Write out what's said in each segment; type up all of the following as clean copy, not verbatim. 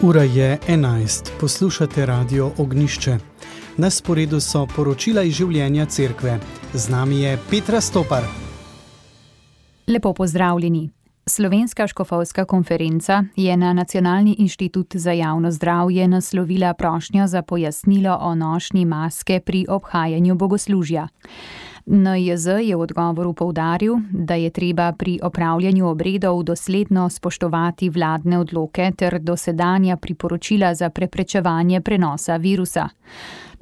Ura je 11. Poslušate Radio Ognjišče. Na sporedu so poročila iz življenja cerkve. Z nami je Petra Stopar. Lepo pozdravljeni. Slovenska škofovska konferenca je na Nacionalni inštitut za javno zdravje naslovila prošnjo za pojasnilo o nošnji maske pri obhajanju bogoslužja. NIJZ je v odgovoru poudaril, da je treba pri opravljanju obredov dosledno spoštovati vladne odloke ter dosedanja priporočila za preprečevanje prenosa virusa.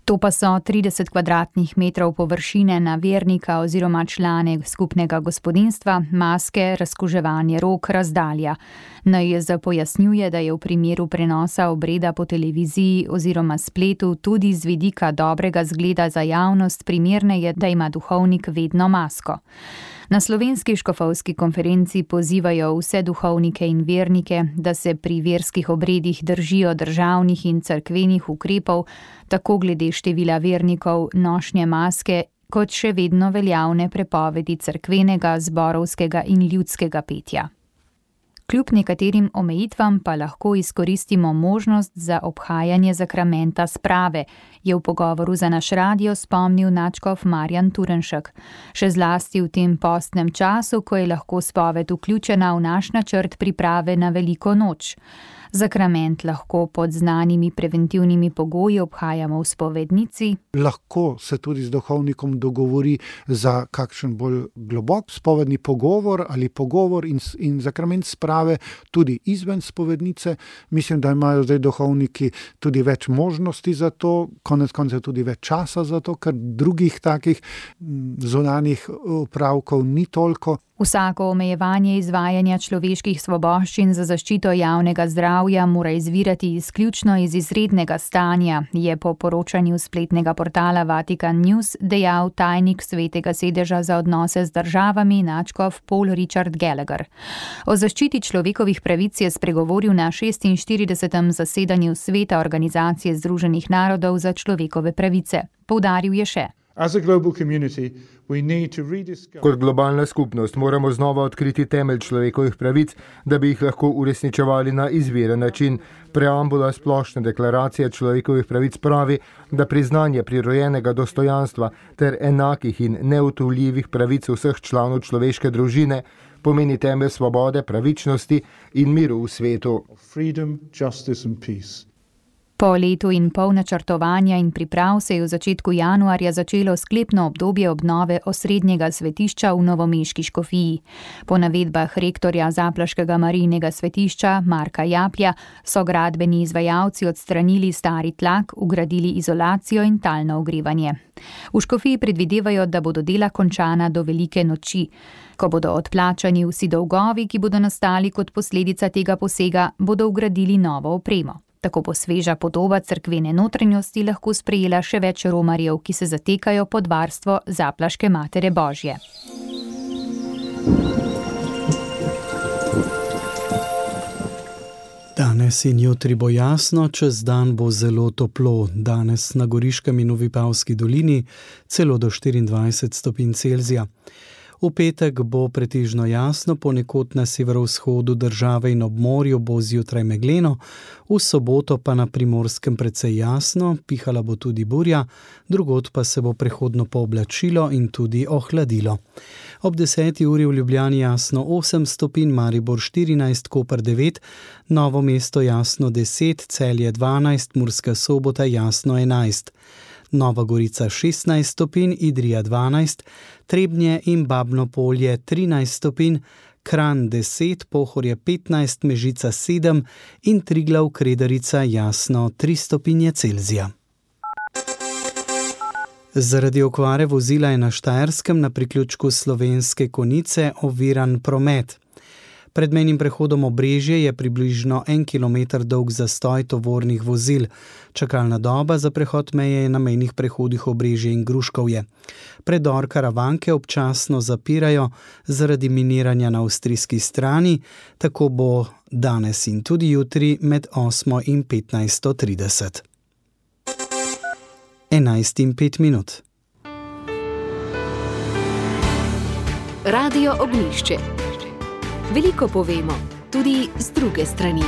To pa so 30 kvadratnih metrov površine na vernika oziroma člane skupnega gospodinjstva, maske, razkuževanje rok, razdalja. NIJZ pojasnjuje, da je v primeru prenosa obreda po televiziji oziroma spletu tudi z vidika dobrega zgleda za javnost primerneje, da ima duhovnik vedno masko. Na Slovenski škofovski konferenci pozivajo vse duhovnike in vernike, da se pri verskih obredih držijo državnih in cerkvenih ukrepov, tako glede števila vernikov, nošnje maske, kot še vedno veljavne prepovedi cerkvenega, zborovskega in ljudskega petja. Kljub nekaterim omejitvam pa lahko izkoristimo možnost za obhajanje zakramenta sprave, je v pogovoru za naš radio spomnil nadškof Marjan Turnšek. Še zlasti v tem postnem času, ko je lahko spoved vključena v naš načrt priprave na veliko noč. Zakrament lahko pod znanimi preventivnimi pogoji obhajamo v spovednici. Lahko se tudi z duhovnikom dogovori za kakšen bolj globok spovedni pogovor ali pogovor in zakrament sprave tudi izven spovednice. Mislim, da imajo zdaj duhovniki tudi več možnosti za to, konec koncev tudi več časa za to, ker drugih takih zunanjih opravkov ni toliko. Vsako omejevanje izvajanja človeških svoboščin za zaščito javnega zdravja mora izvirati izključno iz izrednega stanja, je po poročanju spletnega portala Vatican News dejal tajnik Svetega sedeža za odnose z državami nadškof Paul Richard Gallagher. O zaščiti človekovih pravic je spregovoril na 46. zasedanju Sveta Organizacije Združenih narodov za človekove pravice. Poudaril je še: Kot globalna skupnost moramo znova odkriti temelj človekovih pravic, da bi jih lahko uresničevali na izviren način. Preambula splošne deklaracije človekovih pravic pravi, da priznanje prirojenega dostojanstva ter enakih in neutujljivih pravic vseh članov človeške družine pomeni temelj svobode, pravičnosti in miru v svetu. Po letu in pol načrtovanja in priprav se je v začetku januarja začelo sklepno obdobje obnove osrednjega svetišča v novomeški škofiji. Po navedbah rektorja zaplaškega Marijinega svetišča Marka Japlja so gradbeni izvajalci odstranili stari tlak, vgradili izolacijo in talno ogrevanje. V škofiji predvidevajo, da bodo dela končana do velike noči. Ko bodo odplačani vsi dolgovi, ki bodo nastali kot posledica tega posega, bodo vgradili novo opremo. Tako bo sveža podoba cerkvene notranjosti lahko sprejela še več romarjev, ki se zatekajo pod varstvo zaplaške Matere Božje. Danes in jutri bo jasno, čez dan bo zelo toplo. Danes na Goriškem in v Vipavski dolini celo do 24 stopinj Celzija. V petek bo pretežno jasno, ponekod na severovzhodu države in ob morju bo zjutraj megleno, v soboto pa na Primorskem precej jasno, pihala bo tudi burja, drugod pa se bo prehodno pooblačilo in tudi ohladilo. Ob 10. uri v Ljubljani jasno 8 stopinj, Maribor 14, Koper 9, Novo mesto jasno 10, Celje 12, Murska Sobota jasno 11. Nova Gorica 16 stopinj, Idrija 12, Trebnje in Babno Polje 13 stopinj, Kranj 10, Pohorje 15, Mežica 7 in Triglav Kredarica jasno 3 stopinje Celzija. Zaradi okvare vozila je na Štajerskem na priključku Slovenske Konjice oviran promet. Pred mejnim prehodom Obrežje je približno 1 kilometer dolg zastoj tovornih vozil. Čakalna doba za prehod meje je na mejnih prehodih Obrežje in Gruškovje. Predor Karavanke občasno zapirajo zaradi miniranja na avstrijski strani, tako bo danes in tudi jutri med 8 in 15:30. 11:05. Radio Ognjišče. Veliko povemo, tudi z druge strani.